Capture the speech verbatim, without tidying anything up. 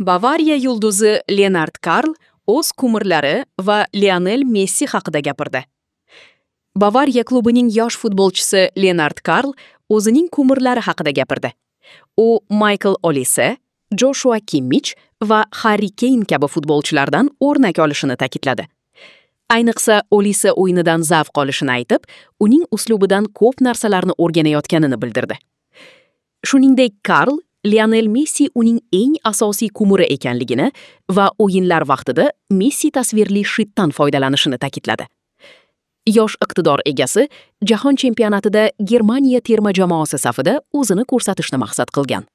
Bavariya yulduzi Lenard Karl o'z kumirlari va Lionel Messi haqida gapirdi. Bavariya klubining yosh futbolchisi Lenard Karl o'zining kumirlari haqida gapirdi. U Maykl Olise, Joshua Kimmich va Harri Keyn kabi futbolchilardan o'rnak olishini ta'kidladi. Ayniqsa Olise o'yinidan zavq olishini aytib, uning uslubidan ko'p narsalarni o'rganayotganini bildirdi. Shuningdek, Karl Lionel Messi uning eng asosiy kumiri ekanligini va o'yinlar vaqtida Messi tasvirli shitdan foydalanishini ta'kidladi. Yosh iqtidor egasi Jahon chempionatida Germaniya terma jamoasi safida o'zini ko'rsatishni maqsad qilgan.